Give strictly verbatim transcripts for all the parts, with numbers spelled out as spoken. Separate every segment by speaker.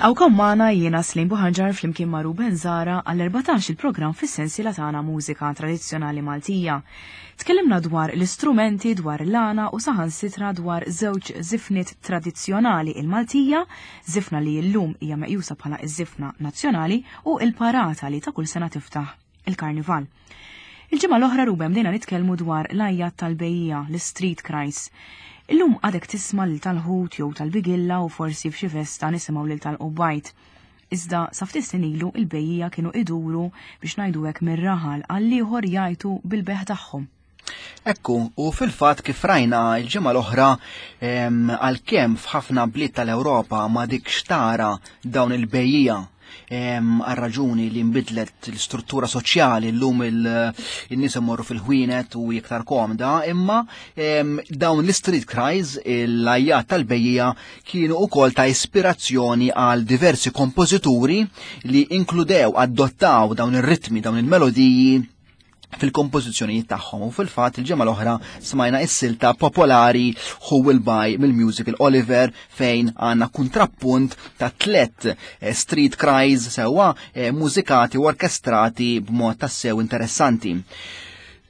Speaker 1: Nilqawkom magħna jiena Slim Buħanġar flimkien ma' Ruben Zara għall-erbatax il-programm fis-sensiela tagħna Mużika Tradizzjonali Maltija. Tkellimna dwar l-istrumenti, dwar l-għana u saħansitra dwar żewġ żifniet tradizzjonali, il-Maltija, żifna li llum hija meqjusa bħala ż-żifna nazzjonali, u l-parata li ta' kull sena tiftaħ il-Karnival. Il-ġimgħa l-oħra, Ruben, bdejna nitkellmu dwar l-għajjat tal-bejjiegħa, l-street cries. Illum għadek tisma' lil tal-ħut jew tal-bigilla u forsi f'xi festa nisimgħu lil tal-qubbajt. Iżda sa ftit snin ilu il-bejjiegħa kienu iduru biex ngħidu hekk mir-raħal għall-ieħor jgħajtu bil-beħ tagħhom.
Speaker 2: Ekku, u fil-fatt kif rajna il-ġimgħa l-oħra, għalkemm f'ħafna bliet tal-Ewropa ma dikx tara dawn il-bejjiegħa, għal raġuni li nbidlet l-istruttura soċjali, llum il-nies imorru fil-ħwienet u iktar komda, imma dawn l-street cries, l-għajjat tal-bejjiegħa, kienu ukoll ta' ispirazzjoni għal diversi kompożituri li inkludew, adottaw dawn ir-ritmi, dawn il-melodiji fil-kompożizzjonijiet tagħhom. U fil-fatt il-ġimgħa l-oħra smajna s-silta popolari Who Will Buy mill-musical Oliver, fejn għandna kontrappunt ta' tlet eh, street cries sewwa eh, mużikati u orkestrati b'mod tassew interessanti.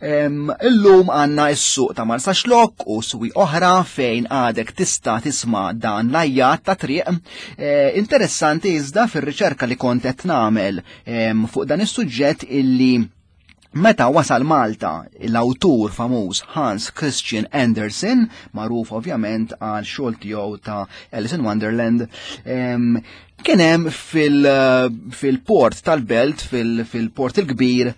Speaker 2: Illum għanna s-suq ta' Marsaxlokk u swieq oħra fejn għadek tista' tisma' dan l-għajjat ta' triq. Eh, interessanti iżda fir-riċerka li kont qed nagħmel fuq dan is-suġġett illi meta wasal Malta l-awtur famuż Hans Christian Andersen, magħruf ovvjament għal xogħol tiegħu ta' Alice in Wonderland, kien hemm fil-port tal-Belt, fil-port il-kbir,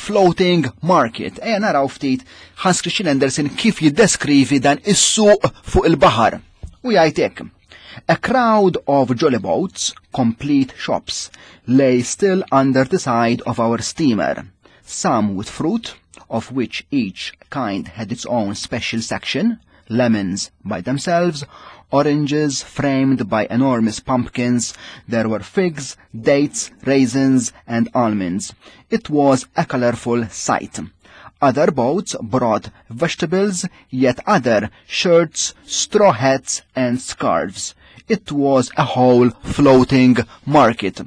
Speaker 2: floating market. Ejja naraw ftit Hans Christian Andersen kif jiddeskrivi dan is-suq fuq il-baħar. U jgħid hekk: "A crowd of jolly boats, complete shops, lay still under the side of our steamer, some with fruit, of which each kind had its own special section, lemons by themselves, oranges framed by enormous pumpkins, there were figs, dates, raisins, and almonds. It was a colorful sight. Other boats brought vegetables, yet other shirts, straw hats, and scarves. It was a whole floating market."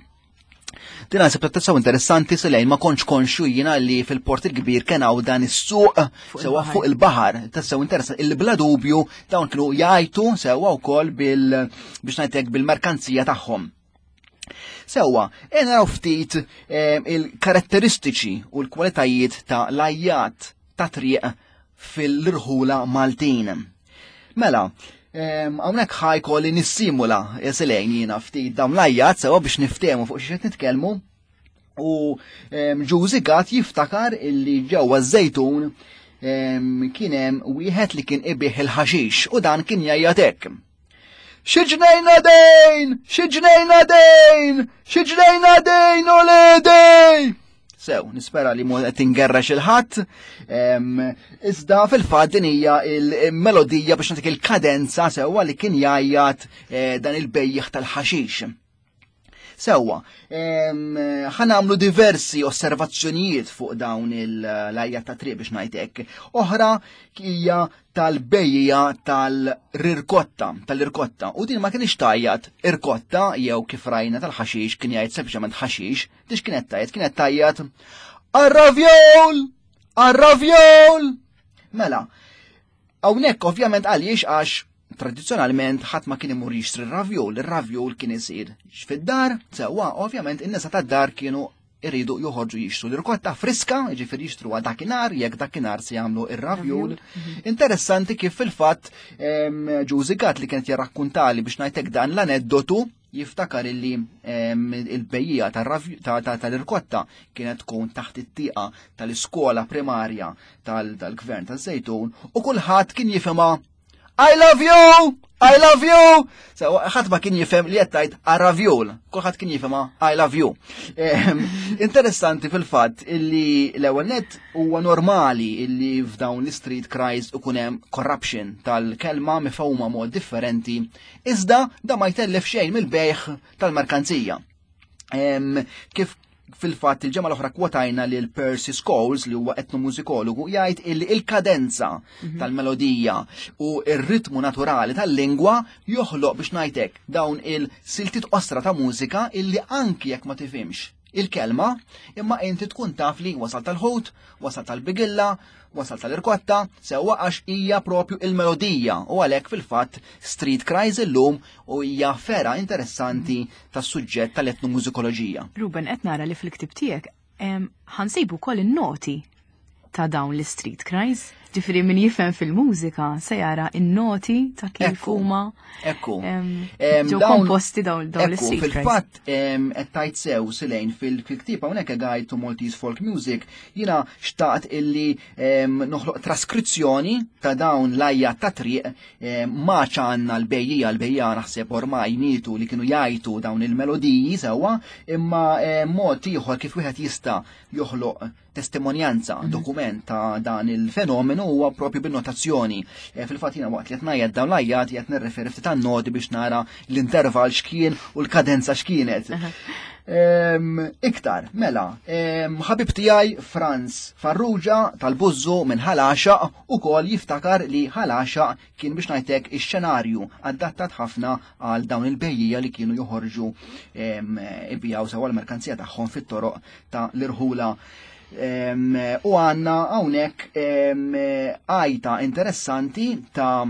Speaker 2: Din għasib tassew interessanti, Selejn, ma kontx konxju jiena li fil-port il-kbir kien hawn dan is-suq sewwa fuq il-baħar. Tassew interessanti. Il-bla dubju dawn kienu jgħajtu sewwa wkoll bil biex ngħidlek bil-merkanzija tagħhom. Sewwa, naraw ftit eh, il-karatteristiċi u l-kwalitajiet ta' l-għajjat ta' triq fil-irħula Maltin. Mela, hawnhekk ħa jkolli nissimula, Selejn, jiena ftit dawn l-għajjat sewwa biex niftehmu fuq xi nitkellmu. U Ġużi Gatt jiftakar illi ġewwa Żejtun kien hemm wieħed li kien ibigħ il-ħaxix u dan kien jgħajjat hekk: "Xi ġnejna dejn! Xi ġnejna dejn! Xi ġnejna dejn uledi!" Sew, nispera li mhu qed ingerrex 'il ħadd. Iżda fil-fatt din hija il-melodija, biex nagħtik il-kadenza sewwa, li kien jgħajjat eh, dan il-bejjiegħ tal-ħaxix. Sewwa, ħa nagħmlu diversi osservazzjonijiet fuq dawn l-għajjat ta' triq, biex ngħidlek. Oħra hija tal-bejjiegħa tal-irkotta, tal-irkotta. U din ma kienx tgħajjat irkotta jew kif rajna tal-ħaxix kien jgħid sempliċement ħaxix, dix kienet tgħajjat, kienet tgħajjat "Arravjol! Arravjol!" Mela, hawnhekk ovvjament għaliex, għax tradizzjonalment ħadd ma kien imur jixtri r-ravjol, ir-ravjol kien isir fid-dar, sewwa, ovvjament in-nisa tad-dar kienu iridu joħorġu jixtru l-irkotta friska, jiġifieri jixtru dakinhar, jekk dakinhar se jagħmlu ir-ravjol. Mhm. Interessanti kif fil-fatt Ġużi Gatt li kienet jarrakkuntali, biex ngħidlek, dan l-aneddotu, jiftakar illi il-bejjiegħa tal-irkotta kienet tkun taħt it-tieqa tal-iskola primarja tal-gvern taż-Żejtun u kulħadd kien jifhimha I love you! I love you! So, ħadd ma kien jifhem li qed tgħid arravjul. Kulħadd kien jifhemha I love you. Ehm, interessanti fil-fatt illi l-ewwel net huwa normali illi f'dawn l-street cries ikun hemm corruption tal-kelma mifhuma mod differenti, iżda da ma jtellef xejn mill-bejħ tal-merkanzija. Ehm, kif fil-fatt il-ġemma l-oħra kwotajna li l-Percy Scholes li huwa etnomużikologu jgħid illi il-kadenza mhm. tal-melodija u ir-ritmu naturali tal-lingwa joħloq biex ngħidlek dawn il-siltiet osra ta' mużika illi anki jekk ma tifhimx il-kelma, imma inti tkun taf li wasal tal-ħut, wasal tal-bigilla, wasal tal-irkotta, sewwa għax hija propju il-melodija u għalhekk fil-fatt Street Cries illum u hija fera interessanti tas-suġġett tal-etnomużikoloġija.
Speaker 1: Ruben, qed nara li fil-ktib tiegħek ħa nsibu wkoll in-noti ta' dawn l-street cries. Ġifieri min jifhem fil-mużika se jara in-noti ta' kif huma
Speaker 2: Ekku.
Speaker 1: ġew komposti dawn dawn l-street
Speaker 2: cries. Fil-fatt qed tajt sew Silejn fil-ktieb hawnhekk Guide to Maltese Folk Music jiena xtaqt illi noħloq traskrizzjoni ta' dawn l-għajjat ta' triq ma ċanna l-bejjija l-bejjija naħseb ormai mietu li kienu jgħajtu dawn il-melodiji sewwa imma mod ieħor kif wieħed jista' joħloq testimonjanza, mm -hmm. dokument ta' dan il-fenomenu huwa propju bin-notazzjoni. E, Fil-fatt jiena waqt li qed ngħid dawn l-għajjat qed nirreferi ftit għan-noti biex nara l-intervall x'kien u l-kadenza x'kienet. Um, iktar, mela, um, ħabib tiegħi Franz Farrugia tal-Buzzu minn Ħal Għaxaq ukoll jiftakar li Ħal Għaxaq kien biex ngħidlek ix-xenarju adattat ħafna għal dawn il-bejjija li kienu joħorġu um, ibijaw sewa l-merkanzija tagħhom fit-toroq ta' l-irħula. Um, u għanna hawnhekk għajta interessanti ta'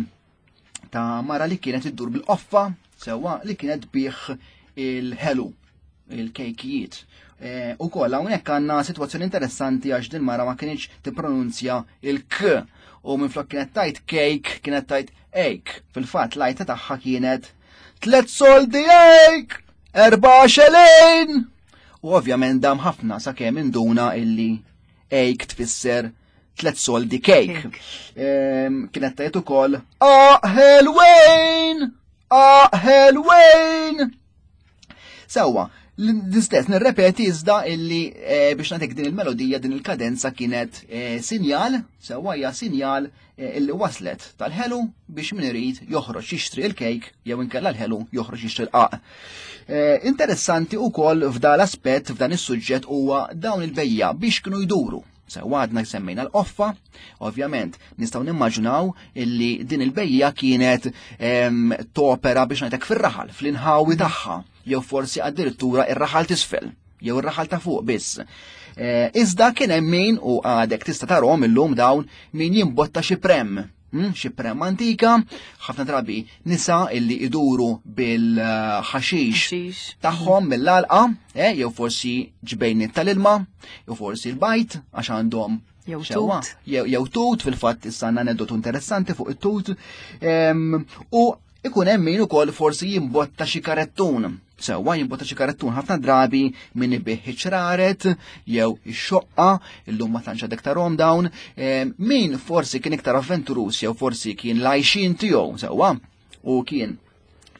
Speaker 2: ta' mara li kienet iddur bil-qoffa sewwa li kienet tbigħ il-ħelu il-kejkijiet. E, u koll hawnhekk għandna sitwazzjoni interessanti għax din mara ma kienx tippronunzja il-k u minflok kienet tgħid cake kienet tgħid ejk. Fil-fatt l-għajta tagħha kienet tlet soldi ejk, erba' xelin. U ovvjament dam ħafna sakemm induna illi ejk tfisser tlet soldi cake. Kienet tgħid ukoll ħelwejn! Ħelwejn! Sewwa, l-istess nirrepeti iżda illi eh, biex nagħtik din il-melodija, din il-kadenza kienet eh, sinjal, sewwa hija sinjal eh, illi waslet tal-ħelu biex min irid joħroġ jixtri il-kejk jew inkella l-ħelu joħroġ jixtri l-qaq. Interessanti wkoll f'dan l-aspett f'dan is-suġġett huwa dawn il-bejja biex kienu jduru. Sewwa għadna semmejna l-qoffa, ovvjament nistgħu nimmaġinaw illi din il-bejja kienet topera biex ngħidlek fir-raħal, fl-inħawi tagħha, jew forsi addirittura ir-raħal t'isfel, jew ir-raħal ta' fuq biss. Iżda kien hemm min u għadek tista' tarhom illum dawn min jimbotta xi prem, hm, xi prem antika, ħafna drabi nisa illi iduru bil-ħaxix tagħhom mill-alqa, eh, jew forsi ġbejniet tal-ilma, jew forsi l-bajt għax għandhom
Speaker 1: Jew tut.
Speaker 2: Jew tut, fil-fatt issa għandna aneddotu interessanti fuq it-tut. U ikun hemm min ukoll forsi jimbotta xi karettun. Sewwa jimbotta xi karettun ħafna drabi min ibih ċraret jew ix-xoqqa, illum ma tantx għadek tarhom dawn, min forsi kien iktar avventurus jew forsi kien lajxin tiegħu sewwa u kien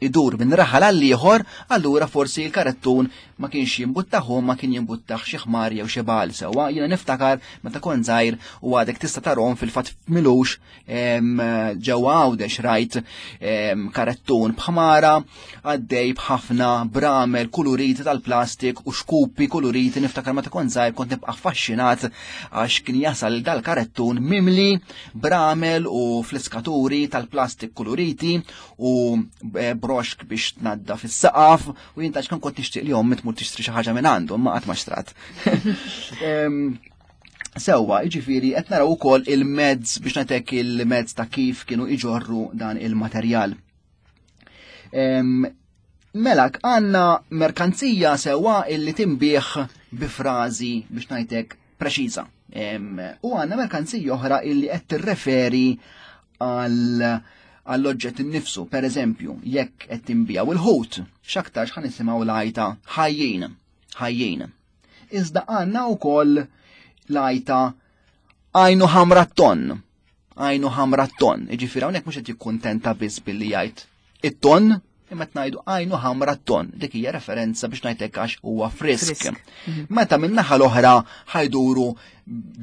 Speaker 2: idur minn raħal għal ieħor, allura forsi l-karettun ma kienx jimbuttaħu, ma kien jimbuttaħ xi ħmar jew xi bal sewwa. Jiena niftakar meta kont żgħir u għadek tista' tarhom fil-fatt milux ġewwa Għawdex rajt karettun b'ħmara għaddej b'ħafna bramel kuluriti tal-plastik u xkupi kuluriti. Niftakar meta kont żgħir kont nibqa' affaxxinat għax kien jasal dal-karettun mimli bramel u fliskaturi tal-plastik kuluriti u broxk biex tnadda fis-saqaf u jien tax kont nixtieq li ommi tmur tixtri xi ħaġa minn għandu, ma qatt ma xtrat. Sewwa, jiġifieri qed naraw ukoll il-mezz biex nagħtek il-mezz ta' kif kienu iġorru dan il-materjal. Melak għandna merkanzija sewwa illi tinbih bi frażi biex ngħidlek preċiża. U għandna merkanzija oħra illi qed tirreferi għal għall-oġġett innifsu. Per eżempju, jekk qed tinbijaw il-ħut, x'aktarx ħa nisimgħu l-għajta ħajjin, ħajjin. Iżda għandna wkoll l-għajta għajnu ħamra ton, Għajnu ħamra ton. Jiġifieri hawnhekk mhux qed jikkuntenta biss billi jgħid it-ton, imma qed ngħidu għajnu ħamra ton. Dik hija referenza biex ngħidlek għax huwa frisk.
Speaker 1: Frisk.
Speaker 2: Meta min-naħa l-oħra ħa jduru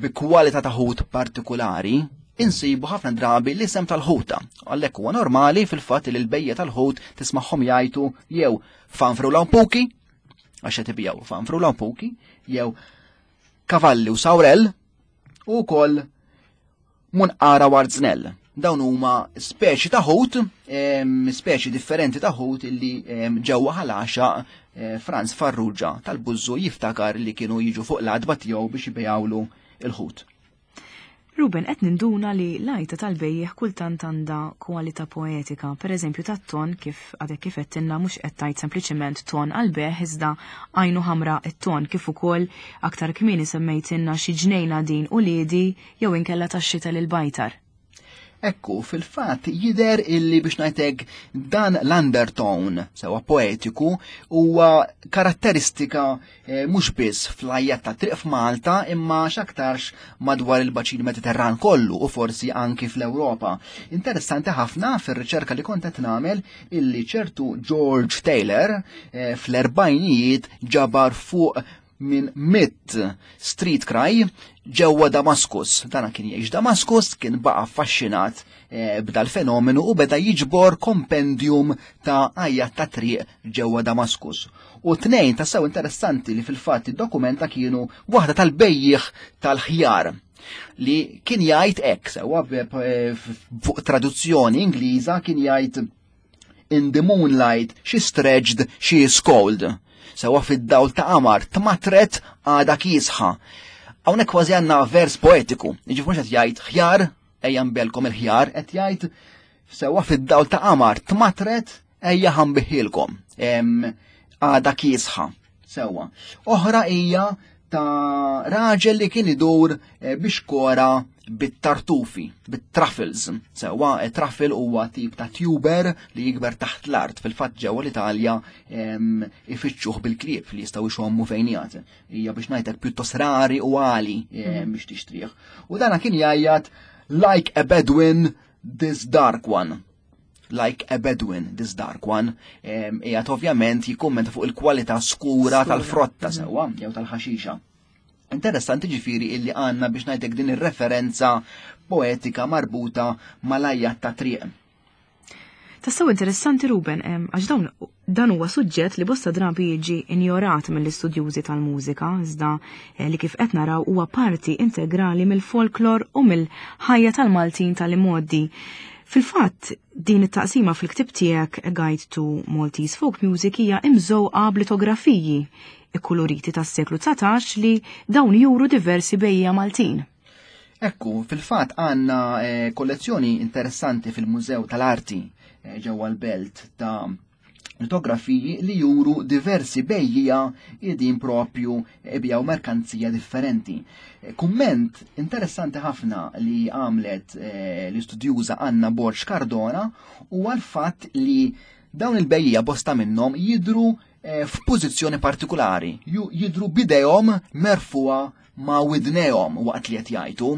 Speaker 2: bi kwalità ta' ħut partikolari, insibu ħafna drabi l-isem tal-ħuta. Għalhekk huwa normali fil-fatt li l-bejjiegħa tal-ħut tismagħhom jgħidu jew fanfru lampuki, għax qed ibijaw fanfru lampuki, jew kavalli u sawrell, u wkoll munqara warznell. Dawn huma speċi ta' ħut, em, speċi differenti ta' ħut illi em, ġewwa Ħal Għaxaq eh, Franz Farrugia tal-Bużżu jiftakar li kienu jiġu fuq l-għatba tiegħu biex ibejgħulu il-ħut.
Speaker 1: Ruben, qed ninduna li l-għajta tal-bejjiegħ kultant għandha kwalità poetika. Per eżempju, tat-ton, kif għadek kif għedtilna, mhux qed tgħid sempliċement ton għal-bejgħ, iżda għajnu ħamra it-ton, kif ukoll aktar kmieni semmejtilna xi ġnejna din u liedi jew inkella tax-xita lil bajtar.
Speaker 2: Ekku, fil-fatt jider illi biex ngħidlek dan l-undertone sewa poetiku huwa karatteristika eh, mhux biss fl-għajjat ta' triq f'Malta imma x'aktarx madwar il-baċin Mediterran kollu u forsi anki fl-Ewropa. Interessanti ħafna fir-riċerka li kont qed nagħmel illi ċertu George Taylor eh, fl-erbgħinijiet ġabar fuq minn mitt street cry ġewwa Damaskus. Dana kien jgħix Damaskus, kien baqa' affaxxinat eh, b'dal fenomenu u beda jiġbor kompendium ta' għajjat ta' triq ġewwa Damaskus. U tnejn ta' sew interessanti li fil-fatt id-dokumenta kienu waħda tal-bejjiegħ tal-ħjar li kien jgħid hekk sewwa fuq traduzzjoni Ingliża kien jgħid "In the moonlight she stretched, she is cold." Sewa fid-dawl ta' qamar tmatret, għada kiesħa. Hawnhekk kważi għandna vers poetiku. Jiġifieri mhux qed jgħid ħjar, ejja nbigħlkom il-ħjar, qed jgħid sewa fid-dawl ta' qamar tmatret, ejja ħa nbigħhielkom. Għada kiesħa. Sewa. Oħra hija ta' raġel li kien idur eh, biex kora bit-tartufi, bit-truffles. Sewa, eh, truffle huwa tip ta' tuber li jikber taħt l-art. Fil-fatt ġewwa l-Italja ifittxuh bil-klieb li jistgħu jxommu fejn jgħat. Hija biex ngħidlek pjuttost rari u għali mm. biex tixtrih. U dana kien jgħajjat "Like a Bedouin, this dark one. Like a Bedouin, this dark one." Qiegħed ovvjament jikkummenta fuq il-kwalità skura tal-frotta mhm. sewwa, jew tal-ħaxixa. Interessanti ġifieri illi għandna biex ngħidlek din ir-referenza poetika marbuta mal-għajjat ta' triq.
Speaker 1: Tassew interessanti, Ruben, għax dawn dan huwa suġġett li bosta drabi jiġi injorat mill-istudjużi tal-mużika, iżda eh, li kif qed naraw huwa parti integrali mill-folklor u mill-ħajja tal-Maltin tal-imgħoddi. Fil-fatt, din it-taqsima fil-ktib tiegħek, A Guide to Maltese Folk Music, hija imżewqa b'litografiji ikkuluriti tas-seklu dsatax li dawn juru diversi bejjiegħa Maltin.
Speaker 2: Ekku, fil-fatt għandna eh, kollezzjoni interessanti fil-Mużew tal-Arti eh, ġewwa l-Belt ta' litografiji li juru diversi bejjiegħa qegħdin propju ibijaw merkanzija differenti. Eh, kumment interessanti ħafna li għamlet l-istudjuża Anna Borg Cardona u għal-fatt li dawn il-bejjiegħa, bosta minnhom jidru f'pożizzjoni partikolari, jidru b'idejhom merfugħa ma' widnejhom waqt li qed jgħajtu.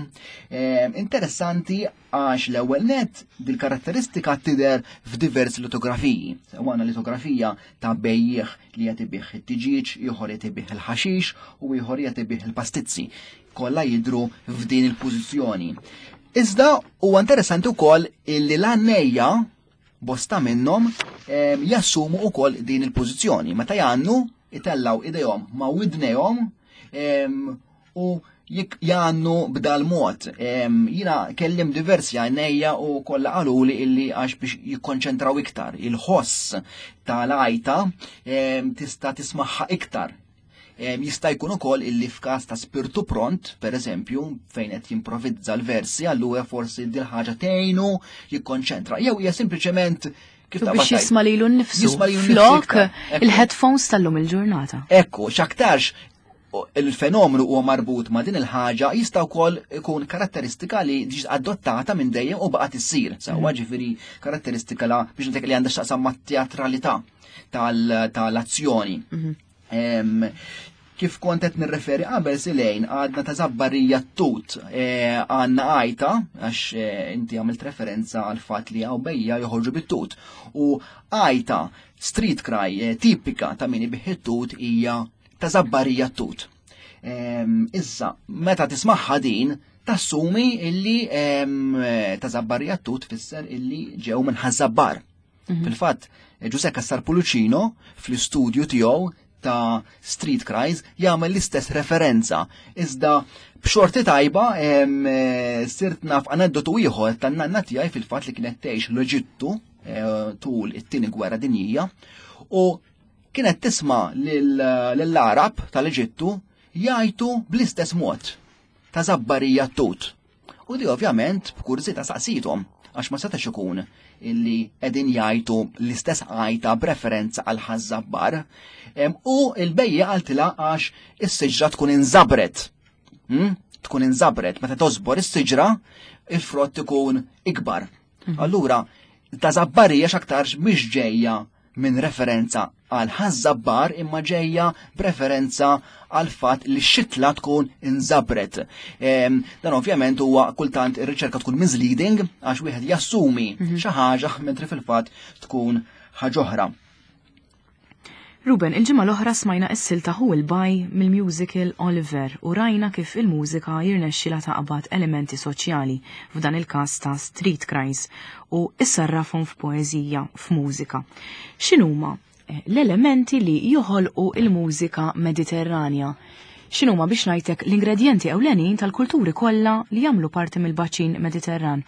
Speaker 2: Interessanti għax l-ewwel net dil-karatteristika tidher f'diversi litografiji. Għandna litografija ta' bejjiegħ li qed ibigħ it-tiġieġ, ieħor qed ibigħ il-ħaxix u ieħor qed ibigħ il-pastizzi. Kollha jidru f'din il-pożizzjoni. Iżda huwa interessanti wkoll illi l-għannejja, bosta minnhom, jassumu wkoll din il-pożizzjoni. Meta jgħannu, itellaw idejhom ma' widnejhom u jgħannu b'dal mod. Jiena kellimt diversi għannejja u kollha qaluli illi għax biex jikkonċentraw iktar. Il-ħoss tal-għajta tista' tismaħħa iktar. Jista' jkun ukoll illi f'każ ta' spirtu pront, per eżempju, fejn qed jimprovizza l-versi, allura forsi dil ħaġa tgħinu jikkonċentra. Jew hija sempliċement kif
Speaker 1: biex jisma' lilu nnifsu.
Speaker 2: Jisma' lilu nnifsu
Speaker 1: Flok
Speaker 2: iktar. Ekku.
Speaker 1: Il-headphones tal-lum il-ġurnata.
Speaker 2: Ekku, x'aktarx il-fenomenu huwa marbut ma' din il-ħaġa, jista' wkoll ikun karatteristika li ġiet adottata minn dejjem u baqgħet issir. Sewwa,
Speaker 1: Mm.
Speaker 2: ġifieri karatteristika la biex ngħidlek li għandha x'taqsam mat-teatralità tal-azzjoni.
Speaker 1: Mhm.
Speaker 2: Em, Kif kont qed nirreferi qabel silejn għadna ta' Żabbarija tut eh, għandna għajta għax eh, inti għamilt referenza għal fatt li hawn bejja joħorġu bit-tut. U għajta street cry eh, tipika ta' min ibigħ it-tut hija ta' Żabbarija tut. Ehm, issa, meta tismaħħa din, tassumi illi ehm, ta' Żabbarija tut fisser illi ġew minn Ħaż-Żabbar. Mhm. Fil-fatt, Giuseppe Cassar Pullicino fl-istudju tiegħu ta' Street Cries jagħmel l-istess referenza. Iżda b'xorti tajba eh, sirt naf aneddotu ieħor tan-nanna tiegħi fil-fatt li kienet tgħix l-Eġittu eh, tul it-tieni gwerra dinjija u kienet tisma' lill-Arab tal-Eġittu jgħajtu bl-istess mod ta' Żabbarija tut. U di ovvjament b'kurżità saqsithom għax ma setax ikun illi qegħdin jgħajtu l-istess għajta b'referenza għal Ħaż-Żabbar. U il-bejja qaltilha għax is-siġra tkun inżabret. Hmm? Tkun inżabret, meta tożbor is-siġra, il-frott ikun ikbar. Mhm. Allura, ta' Żabbarija x'aktarx mhix ġejja minn referenza għal Ħaż-Żabbar imma ġejja b'referenza għal fatt li x-xitla tkun inżabret. Dan ovvjament huwa kultant ir-riċerka tkun misleading għax wieħed jassumi mhm. xi ħaġa mentri fil-fatt tkun ħaġa oħra.
Speaker 1: Ruben, il-ġimgħa l-oħra smajna s-silta Hu il-Baj mill-musical Oliver u rajna kif il-mużika jirnexxila taqbad elementi soċjali, f'dan il-każ ta' street cries, u issarrafhom f'poeżija, f'mużika. X'inhuma eh, l-elementi li joħolqu il-mużika Mediterranja? X'inhuma biex ngħidlek l-ingredjenti ewlenin tal-kulturi kollha li jagħmlu parti mill-baċin Mediterran?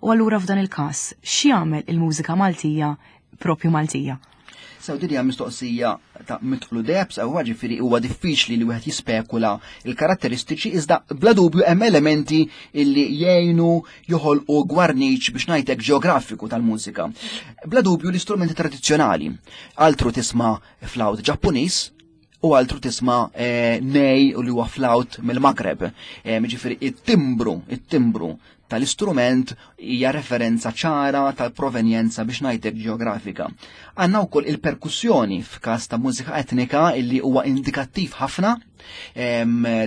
Speaker 1: U allura f'dan il-każ, x'jagħmel il-mużika Maltija propju Maltija?
Speaker 2: Sew din hija mistoqsija ta' mitqlu debs, għaw ġifieri huwa diffiċli li wieħed jispekula il-karatteristiċi, iżda bla dubju hemm elementi illi jgħinu joħolqu gwarniċ biex ngħidlek ġeografiku tal-mużika. Bla dubju l-istrumenti tradizzjonali. Altru tisma' flawt Ġappuniż u altru tisma' eh, nej u li huwa flawt mill-Magreb. Eh, ġifieri it-timbru, it-timbru tal-istrument hija referenza ċara tal-provenjenza biex ngħidlek ġeografika. Għandna wkoll il-perkussjoni f'każ ta' mużika etnika illi huwa indikattiv ħafna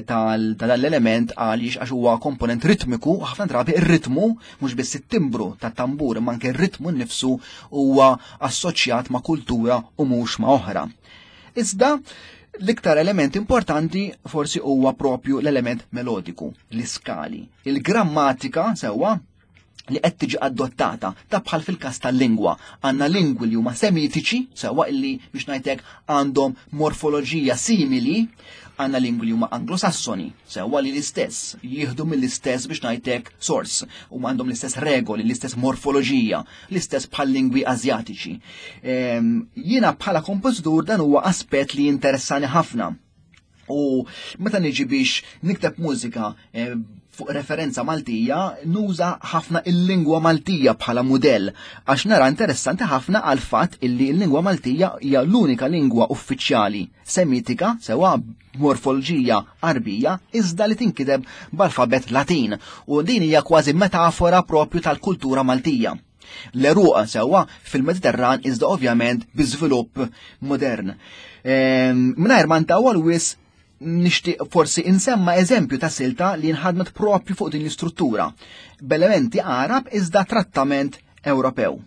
Speaker 2: tal-element għaliex għax huwa komponent ritmiku, ħafna drabi ir-ritmu mhux biss it-timbru tat-tambur imma anke r-ritmu nnifsu huwa assoċjat ma' kultura u mhux ma' oħra. Iżda l-iktar element importanti forsi huwa propju l-element melodiku, l-iskali, il-grammatika sewwa li qed tiġi adottata ta' bħal fil-każ tal-lingwa. Għandna lingwi li huma semitiċi, sewwa illi biex ngħidlek għandhom morfoloġija simili, għandna lingwi li huma anglosassoni, sewwa li l-istess, jieħdu mill-istess biex ngħidlek source, u għandhom l-istess regoli, l-istess morfoloġija, l-istess bħal lingwi Azjatiċi. Ehm, jiena bħala kompożitur dan huwa aspett li jinteressani ħafna. U meta niġi biex nikteb mużika, eh, fuq referenza Maltija, nuża ħafna il-lingwa Maltija bħala mudell, għax nara interessanti ħafna għal fatt illi l-lingwa Maltija hija l-unika lingwa uffiċjali semitika, sewa morfoloġija Arbija, iżda li tinkiteb b'alfabet Latin, u din hija kważi metafora propju tal-kultura Maltija. L-eruq sewwa fil-Mediterran iżda ovvjament bi żvilupp modern. Ehm, mingħajr ma ntawwal wis nixtieq forsi insemma eżempju ta' silta li nħadmet propju fuq din l-istruttura, b'elementi Arab iżda trattament Ewropew.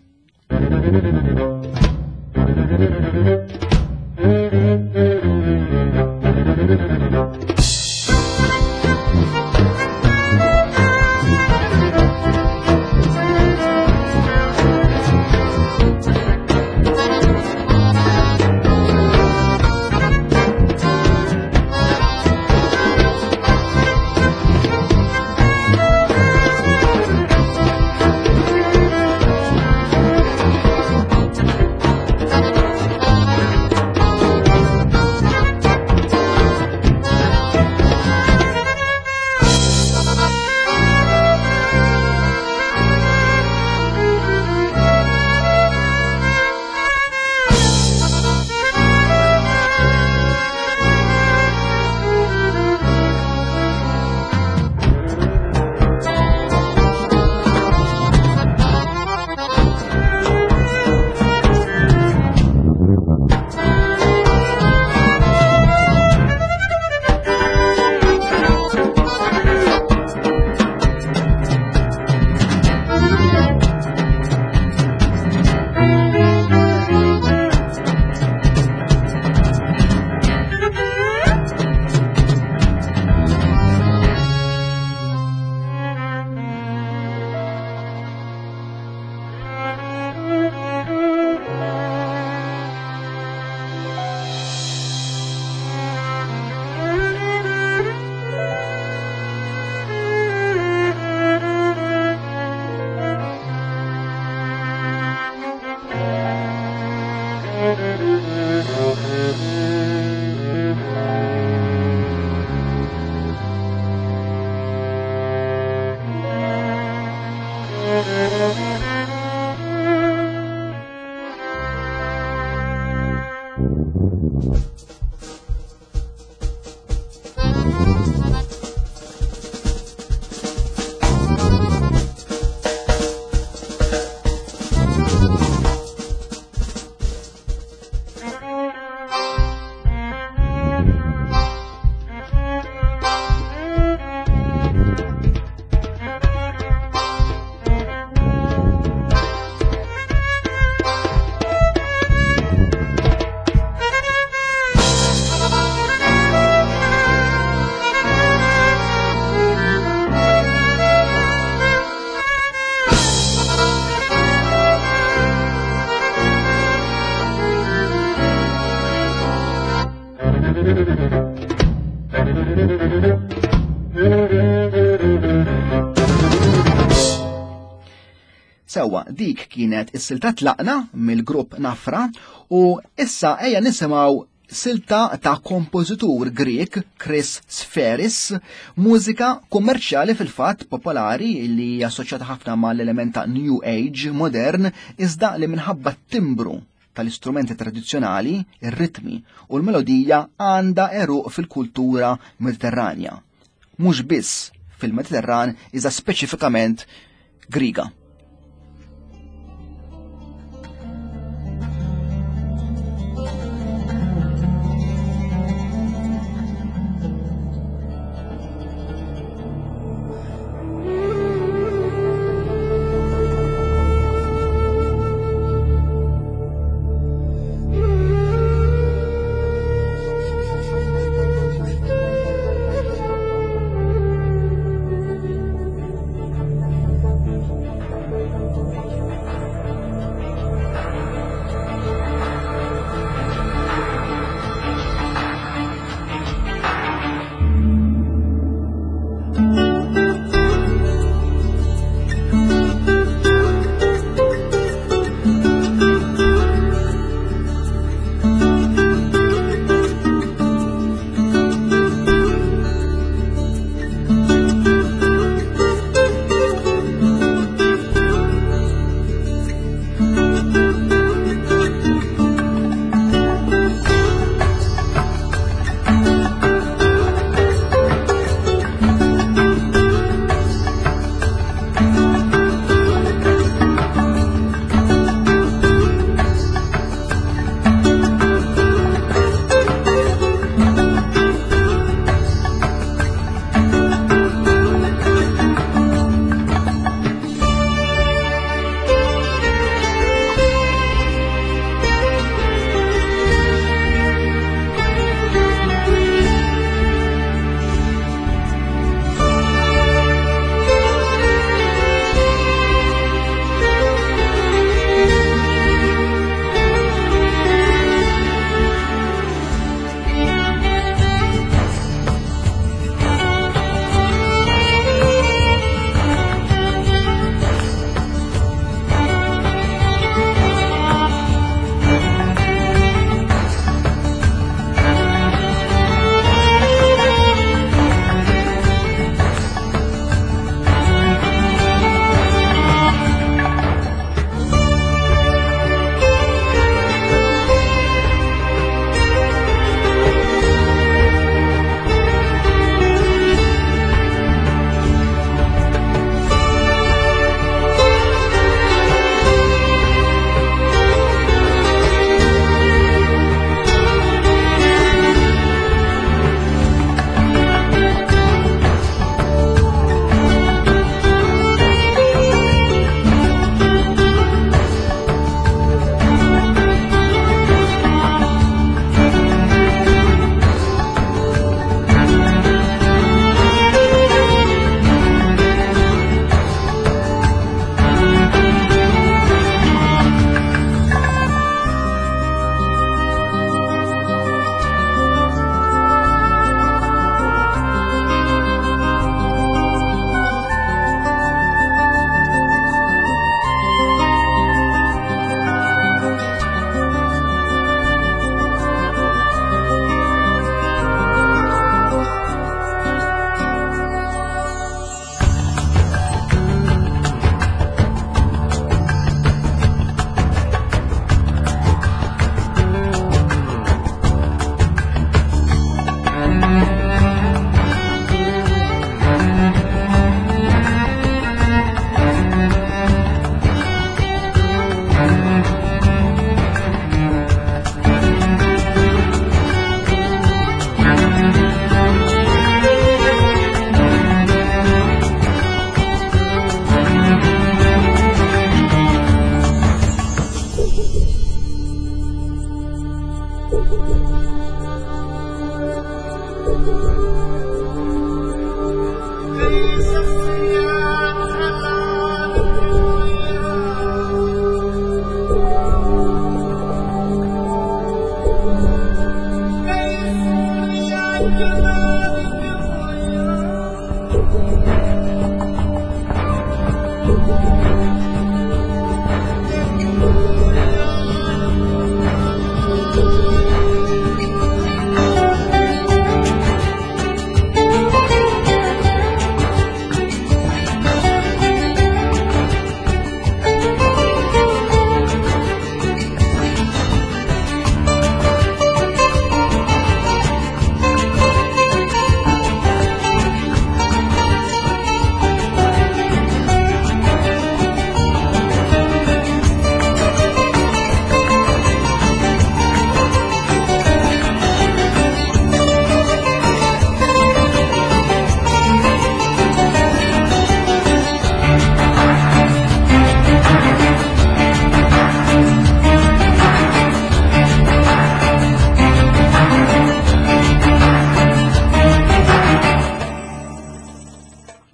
Speaker 2: Sewa, dik kienet is-silta tlaqna mill-grupp Nafra u issa ejja nisimgħu silta ta' kompożitur Grek Chris Sferis, mużika kummerċjali fil-fatt popolari li hija assoċjata ħafna mal-element ta' New Age modern, iżda li minħabba t-timbru tal-istrumenti tradizzjonali, ir-ritmi u l-melodija għandha għeruq fil-kultura Mediterranja. Mhux biss fil-Mediterran, iżda speċifikament Griega.
Speaker 3: Thank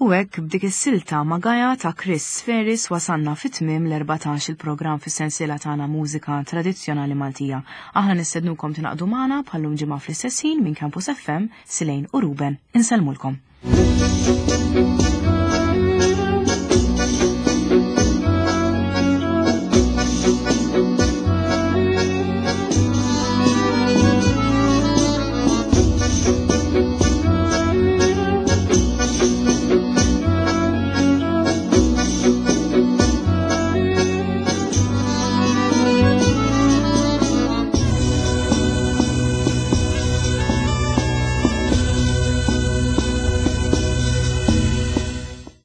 Speaker 1: U hekk b'dik is-silta ma' Gaja ta' Chris Ferris wasanna fit-tmiem l-erbatax il-programm fis-sensiela tagħna Mużika Tradizzjonali Maltija. Aħna nistednukom tingħaqdu magħna bħallum ġimgħa fl-istess ħin minn Campus F M, Silejn u Ruben. Insellmulkom.